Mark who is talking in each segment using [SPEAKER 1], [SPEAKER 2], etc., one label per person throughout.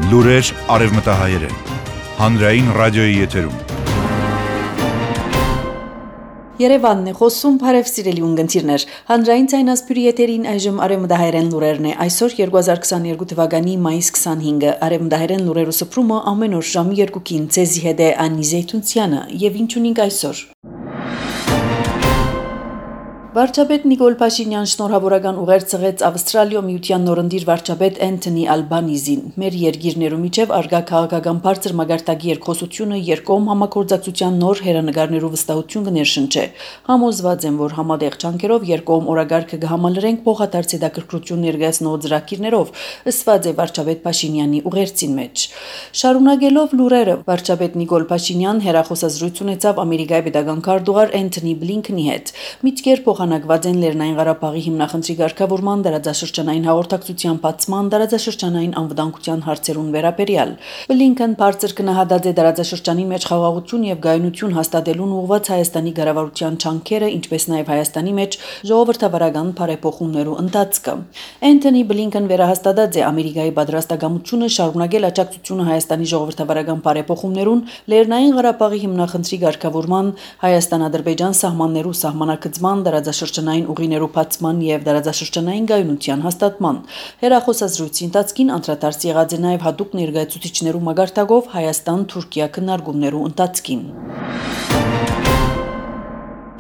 [SPEAKER 1] Լուրեր արևմտահայերեն, հանրային ռադիոյի եթերում։
[SPEAKER 2] Երևանն է խոսում, բարև սիրելի ունգընտիրներ, հանրային ցայնասպյուրի եթերին այժմ արևմտահայերեն լուրերն է, այսօր 2022 թվականի մայիս 25-ը, արևմտահայերեն լուրերու սփռումը ամեն օր ժամի 2-ին, ցեզի հետ է Անի Զեյթունցյանը, եւ ինչ ունենք այսօր։ Վարչապետ Նիկոլ Փաշինյան շնորհավորական ուղեր ցղեց Ավստրալիա միության նորընտիր վարչապետ Անթոնի Ալբանիզին։ Մեր երկիրներու միջև արգա քաղաքական բարձր մագարտակի երկխոսությունը երկկողմ համագործակցության նոր հերանեկարներու վստահություն կներշնչի։ Համոզված եմ, որ համատեղ ջանքերով երկկողմ օրագարկը կհամալրենք փոխադարձ հետաքրքրություն ներկայացնող ծրագիրներով, ըսված է վարչապետ Փաշինյանի ուղերձին մեջ։ Շարունակելով լուրերը, վարչապետ Նիկոլ Փաշինյան հերախոսազրույց ունեցավ Ամերիկայի պետական քարտուղար Անթոնի Բլինքենի հետ։ Միտքեր փոխանակված են Լեռնային Ղարաբաղի հիմնախնդրի ղեկավարման դարաձաշրջանային հաղորդակցության բացման դարաձաշրջանային անվտանգության հարցերուն վերաբերյալ։ Բլինքեն բարձր գնահատած է դարաձաշրջանի մեջ խաղաղություն եւ գայունություն հաստատելուն ուղղված Հայաստանի ղեկավարության ջանքերը, ինչպես նաեւ Հայաստանի մեջ ժողովրդավարական բարեփոխումներու ընթացքը։ Անթոնի Բլինքեն վերահաստատած է Ամերիկայի պատրաստակամությունը շարունակել աջակցությունը Հայաստանի ժողովրդավարական բարեփոխումներուն Լեռնային Ղարաբաղի հիմնախնդրի ղեկավարման Հայաստան-Ադրբեջան սահմաններու սահմանակցման դարաձաշրջանային ուղիներու բացման եւ դարաձաշրջանային գայունության հաստատման։ Հերախոսազրույցի ընթացքին անդրադարձ եղած է նաեւ հատուկ ներկայացուցիչներու մագարտակով Հայաստան-Թուրքիա քննարկումներու ընթացքին։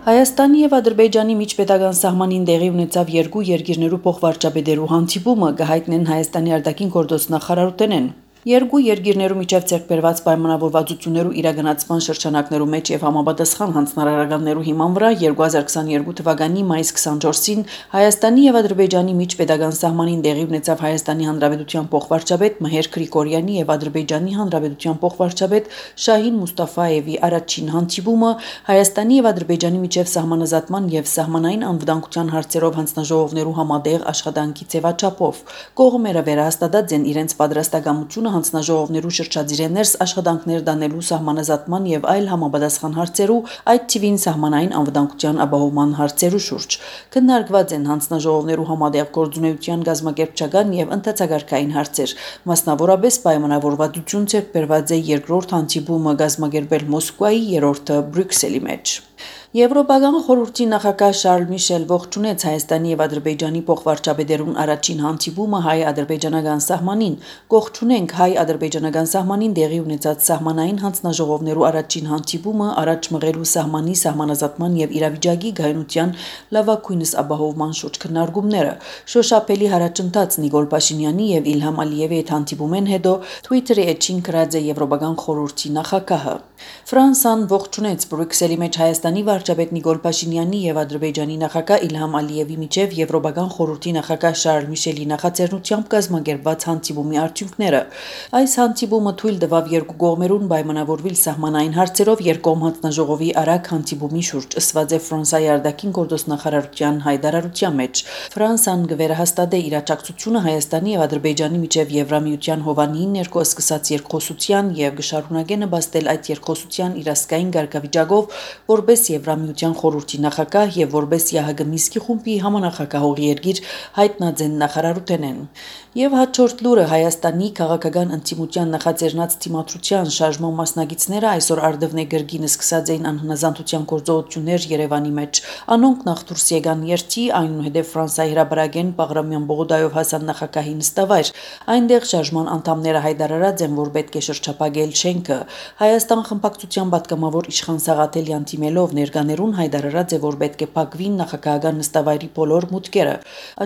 [SPEAKER 2] Հայաստանի եւ Ադրբեջանի միջպետական սահմանին տեղի ունեցավ երկու երկիրներու փոխվարչապետերու հանդիպումը, կհայտնեն Հայաստանի արտաքին գործոստ նախարարութենեն։ Երկու երկիրներու միջև ձեռքբերված պայմանավորվածություններու իրագնացման շրջանակներու մեջ եւ համապատասխան հանձնարարականներու հիման վրա 2022 թվականի մայիս 24-ին Հայաստանի եւ Ադրբեջանի միջպետական սահմանին տեղի ունեցավ Հայաստանի Հանրապետության փոխվարչապետ Մհեր Գրիգորյանի եւ Ադրբեջանի Հանրապետության փոխվարչապետ Շահին Մուստաֆայևի առաջին հանդիպումը Հայաստանի եւ Ադրբեջանի միջև սահմանազատման եւ սահմանային անվտանգության հարցերով հանձնաժողովներու համատեղ աշխատանքի ձևաչափով կողմերը վերահաստատած են իրենց պատրաստակամությունը հանձնաժողովներու շրջադիրներս աշխատանքներ դանելու սահմանազատման եւ այլ համապատասխան հարցերու, այդ թիվին սահմանային անվտանգության ապահովման հարցերու շուրջ։ Քննարկված են հանձնաժողովներու համատեղ գործունեության գազམ་ակերպչական եւ ընթացակարգային հարցեր, մասնավորապես պայմանավորվածություն ձեռքբերված է երկրորդ հանդիպումը գազམ་ակերպել Մոսկվայի, երրորդը Բրյուսելի մեջ։ Եվրոպական խորհրդի նախագահ Շարլ Միշել ողջունեց Հայաստանի եւ Ադրբեջանի փոխվարչապետերուն առաջին հանդիպումը հայ-ադրբեջանական սահմանին։ Կողջունենք հայ-ադրբեջանական սահմանին տեղի ունեցած սահմանային հանձնաժողովներու առաջին հանդիպումը առաջ մղելու սահմանի սահմանազատման եւ իրավիճակի գայունության լավագույնս ապահովման շուրջ քննարկումները։ Շոշափելի հարաճընթաց Նիկոլ Փաշինյանի եւ Իլհամ Ալիևի հետ հանդիպումեն հետո Twitter-ի էջին գրած է Եվրոպական խորհրդի նախագահը։ Ֆրանսան ողջունեց Բրյուսելի մեջ Հայաստանի վարչապետ Նիկոլ Փաշինյանի եւ Ադրբեջանի նախագահ Իլհամ Ալիևի միջև Եվրոպական խորհրդի նախագահ Շարլ Միշելի նախաձեռնությամբ կազմակերպված հանդիպումի արդյունքները։ Այս հանդիպումը թույլ տվավ երկու կողմերուն պայմանավորվել սահմանային հարցերով երկկողմ հանձնաժողովի արագ հանդիպումի շուրջ, ըսված է Ֆրանսիայի արտաքին գործոստնախարարության հայտարարության մեջ։ Ֆրանսան կվերահաստատե իր աջակցությունը Հայաստանի եւ Ադրբեջանի միջև Եվրամիության հովանին ներկայ սկսած երկխոսության եւ կշարունակե նպաստել այդ երկխոսության իրազգային կարգավիճակով որպես Եվրամիության խորհրդի նախագահ եւ որպես ՀՀԳ Մինսկի խումբի համանախագահող երկիր հայտնած են նախարարութենեն։ Եվ հաջորդ լուրը Հայաստանի քաղաքական ընտիմության նախաձեռնած թիմադրության շարժման մասնակիցները այսօր Արդևնե գրգին սկսած էին անհնազանդության գործողություններ Երևանի մեջ։ Անոնք նախ դուրս եկան երթի, այնուհետև Ֆրանսիայի հրապարակեն Բաղրամյան Բողոդայով հասան նախագահի նստավայր։ Այնտեղ շարժման անդամները հայտարարած են, որ պետք է շրջափակել շենքը։ Հայաստան խմբակցության պատգամավոր Իշխան Սաղաթելյան թիմելով ներկաներուն հայտարարած է, որ պետք է փակվին նախագահական նստավայրի բոլոր մուտքերը։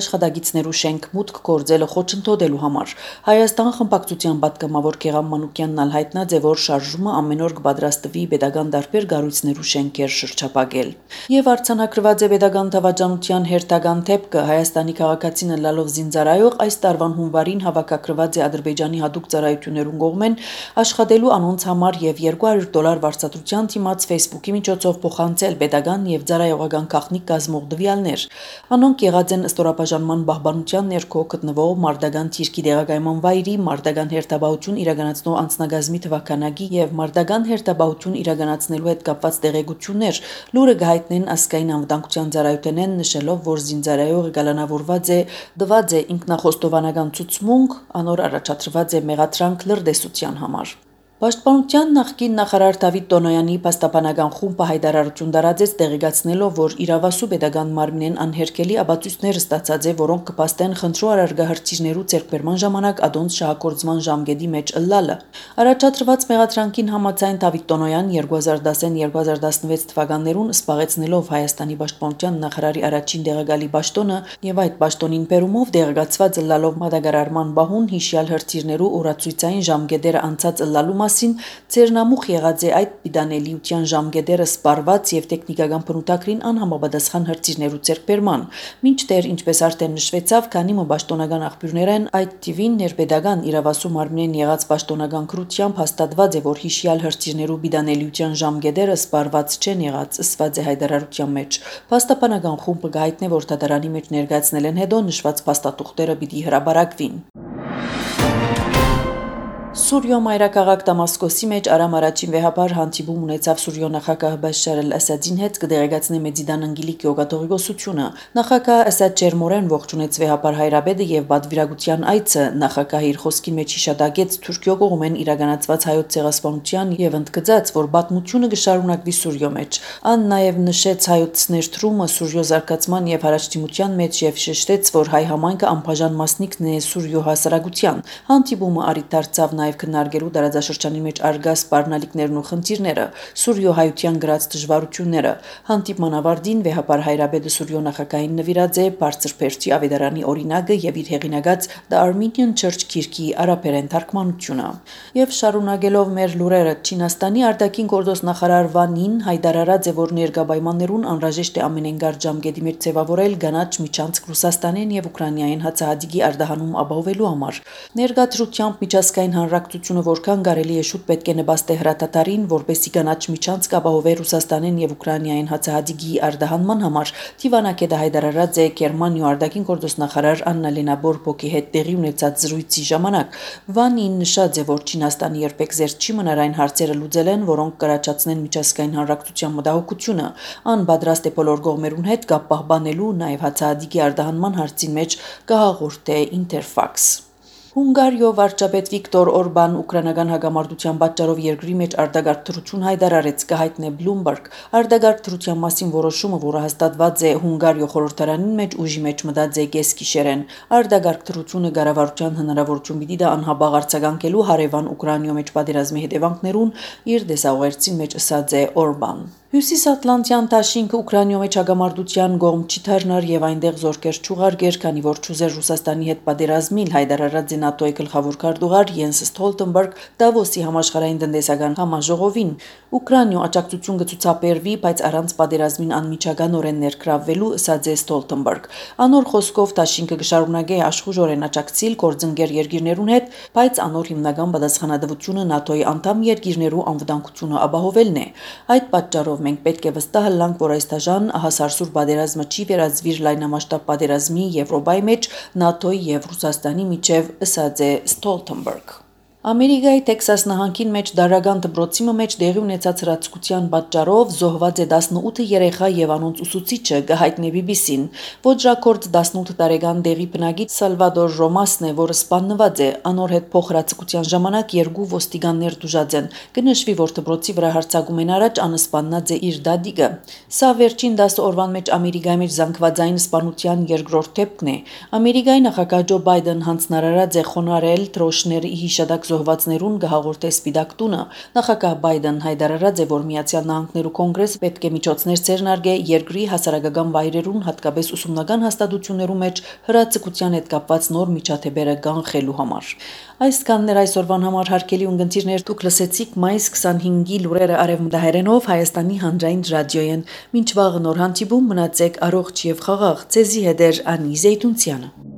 [SPEAKER 2] Աշխատագիտներու շենք մուտք գործելը խոչընդոտելու համար Հայաստան խմբակցության պատգամավոր Գեգամ Մանուկյանն ալ հայտնած է, որ շարժումը ամեն օր կպատրաստվի պետական տարբեր կառույցներու շենքեր շրջափակել։ Եվ արձանագրված է պետական դավաճանության հերթական դեպքը Հայաստանի քաղաքացին լալով զինծառայող այս տարվան հունվարին հավաքագրված է Ադրբեջանի հատուկ ծառայություններուն կողմեն աշխատելու անոնց համար եւ $200 վարձատրության դիմաց Facebook-ի միջոցով փոխանցել pedagogan եւ ծառայողական քաղաքնիկ կազմող տվյալներ։ Անոնք եղած են ստորաբաժանման պահպանության ներքո գտնվող Մարդական թիրքի դեղագայման վայրի, Մարդական հերթապահություն իրականացնող անձնագազմի թվականագի եւ Մարդական հերթապահություն իրականացնելու հետ կապված տեղեկություններ, լուրը գահիտնեն ազգային անվտանգության ծառայությունեն նշելով, որ զինծառայողը գալանավորված է, դված է ինքնախոստովանական ցուցմունք, անոր առաջադրված է մեղադրանք լրտեսության համար։ Պաշտպանության նախկին նախարար Դավիթ Տոնոյանի պաստապանական խումբը հայտարարություն տարածեց տեղեկացնելով, որ իրավասու pedagogan մարմինեն անհերքելի աբացույցներ ստացած է, որոնք կփաստեն խնդրու առարգահրճիջներու ձեռքբերման ժամանակ ադոնց շահագործման ժամկետի մեջ ըլլալը։ Առաջադրված մեղադրանքին համաձայն Դավիթ Տոնոյան 2010-2016 թվականներուն սպաղեցնելով Հայաստանի պաշտպանության նախարարի առաջին դեղագալի պաշտոնը եւ այդ պաշտոնին բերումով դեղեկացված ըլլալով մատակարարման բահուն հիշյալ հրթիռներու օրացույցային ժամկետերը անցած ըլլալու Ձերնամուխ եղած է այդ պիտանելիության ժամկետերը սպառված եւ տեխնիկական բնութագրին անհամապատասխան հրթիռներու ձեռքբերման։ Մինչդեռ, ինչպես արդեն նշվեցավ, քանի պաշտոնական աղբյուրներն այդ տիվին ներպետական իրավասու մարմինեն եղած պաշտոնական քրությամբ հաստատված է, որ հիշյալ հրթիռներու պիտանելիության ժամկետերը սպառված չեն եղած, ըսված է հայտարարության մեջ։ Պաստապանական խումբը գայտնե, որ դատարանի մեջ ներկայացնել են հետո նշված փաստաթուղթերը պիտի հրապարակվին։ Սուրիո մայրաքաղաք Դամասկոսի մեջ Արամ առաջին վեհապար հանդիպում ունեցավ Սուրիո նախագահ Բաշար al-Ասադին հետ կդեղեկացնի Մեդիդան Անգելիկի օգտագործությունը։ Նախագահ Ասադ ջերմորեն ողջունեց վեհապար հայրաբեդը եւ բադվիրագության այցը նախագահի իր խոսքի մեջ հիշատակեց Թուրքիո կողմեն իրականացված հայոց ցեղասպանության եւ ընդգծած, որ բադմությունը կշարունակվի Սուրիո մեջ։ Ան նաեւ նշեց հայոց ներդրումը Սուրիո զարգացման եւ հարաճտիմության մեջ եւ շեշտեց, որ հայ համայնքը անբաժան մասնիկն է Սուրիո հասարակության։ Հանդիպումը առիթ դարձավ նաև քննարկելու տարածաշրջանի մեջ արգա սպառնալիքներն ու խնդիրները, Սուրիո հայության գրած դժվարությունները։ Հանդիպման ավարտին վեհապար հայրաբեդը Սուրիո նախագահին նվիրած է բարձր փերթի ավետարանի օրինակը եւ իր հեղինակած The Armenian Church քիրքի արաբերեն թարգմանությունը։ Եվ շարունակելով մեր լուրերը, Չինաստանի արտաքին գործոստ նախարար Վան Ին հայտարարած է, որ ներկա պայմաններուն անհրաժեշտ է ամենենգար ժամկետի մեջ ձևավորել կանաչ միջանցք Ռուսաստանին եւ Ուկրաինային հացահատիկի արտահանում ապահովելու համար։ Ներկա դրությամբ միջազգային հանրակցությունը որքան կարելի է շուտ պետք է նպաստի հրատատարին, որպեսզի կանաչ միջանցք ապահովի Ռուսաստանին եւ Ուկրաինային հացահատիկի արտահանման համար։ Տիվանակետը հայտարարած է Գերմանիո արտաքին գործոստ նախարար Աննալենա Բորբոկի հետ տեղի ունեցած զրույցի ժամանակ։ Վանին նշած է, որ Չինաստանը երբեք զերծ չի մնար այն հարցերը լուծել են, որոնք կրաչացնեն միջազգային հանրակցության մտահոգությունը։ Ան պատրաստ է բոլոր կողմերուն հետ կապ պահպանելու, նաեւ հացահատիկի արտահանման հարցին մեջ կհաղորդե Interfax։ Հունգարիո վարչապետ Վիկտոր Օրբան ուկրաինական հակամարտության պատճառով երկրի մեջ արտագաղթ դրություն հայտարարեց, կհայտնե Bloomberg։ Արտագաղթ դրության մասին որոշումը, որը հաստատված է Հունգարիո խորհրդարանին մեջ, ուժի մեջ մտած է կեսգիշերեն։ Արտագաղթ դրությունը կառավարության հնարավորություն պիտի դա անհաբաղ արձագանքելու հարևան Ուկրաինայո մեջ պատերազմի հետևանքներուն իր դեսաղերցի մեջ ըսած է Օրբան։ Հյուսիսատլանտյան դաշինքը Ուկրաինայո մեջ հակամարտության կողմ չի դառնար եւ այնտեղ զորքեր չուղարկեր, քանի որ չուզեր Ռուսաստանի հետ պատերազմիլ, հայտարարած է ՆԱՏՕ-ի գլխավոր քարտուղար Յենս Ստոլտենբերգ Դավոսի համաշխարհային տնտեսական համաժողովին։ Ուկրաինայո աջակցություն կցուցաբերվի, բայց առանց պատերազմին անմիջականորեն ներգրավվելու, ըսած է Ստոլտենբերգ։ Անոր խոսքով դաշինքը կշարունակի աշխուժորեն աջակցել գործընկեր երկիրներուն հետ, բայց անոր հիմնական պատասխանատվությունը ՆԱՏՕ-ի անդամ երկիրներու անվտանգությունը ապահովելն է։ Այդ պատճառով մենք պետք է վստահ լանք, որ այս դաժանահասարսուր պատերազմը չի վերածվիր լայնամասշտաբ պատերազմի Եվրոպայի մեջ ՆԱՏՕ-ի եւ Ռուսաստանի միջև, ըսած է Ստոլտենբերգ։ Ամերիկայի Տեքսաս նահանգին մեջ դարական դպրոցի մեջ տեղի ունեցած հրացակության պատճառով զոհված է 18 երեխա եւ անոնց ուսուցիչը, կհայտնի BBC-ն։ Ոճրակորդ 18 տարեկան դեղի բնակիչ Սալվադոր Ռոմասն է, որը սպանված է։ Անոր հետ փոխհրացակության ժամանակ երկու ոստիկաններ դժուժած են։ Կնշվի, որ դպրոցի վրա հարձակումեն առաջ անսպաննած է իր դադիկը։ Սա վերջին 10 օրվան մեջ Ամերիկայի մեջ զանգվածային սպանության երկրորդ դեպքն է։ Ամերիկայի նախագահ Ջո Բայդեն հանձնարարած է խոնարհել դրոշների հիշատակ զոհվածներուն կհաղորդե Սպիտակ տունը։ Նախագահ Բայդեն հայտարարած է, որ Միացյալ Նահանգներու կոնգրեսը պետք է միջոցներ ձեռնարկե երկրի հասարակական վայրերուն, հատկապես ուսումնական հաստատություններու մեջ հրացակության հետ կապված նոր միջադեպերը կանխելու համար։ Այսքանն էր այսօրվան համար հարգելի ունկնդիրներ, դուք լսեցիք մայիս 25-ի լուրերը արևմտահայերենով Հայաստանի հանրային ռադիոյեն։ Մինչ վաղը նոր հանդիպում, մնացեք առողջ եւ խաղաղ։ Ձեզի հետ էր Անի Զեյթունցյանը։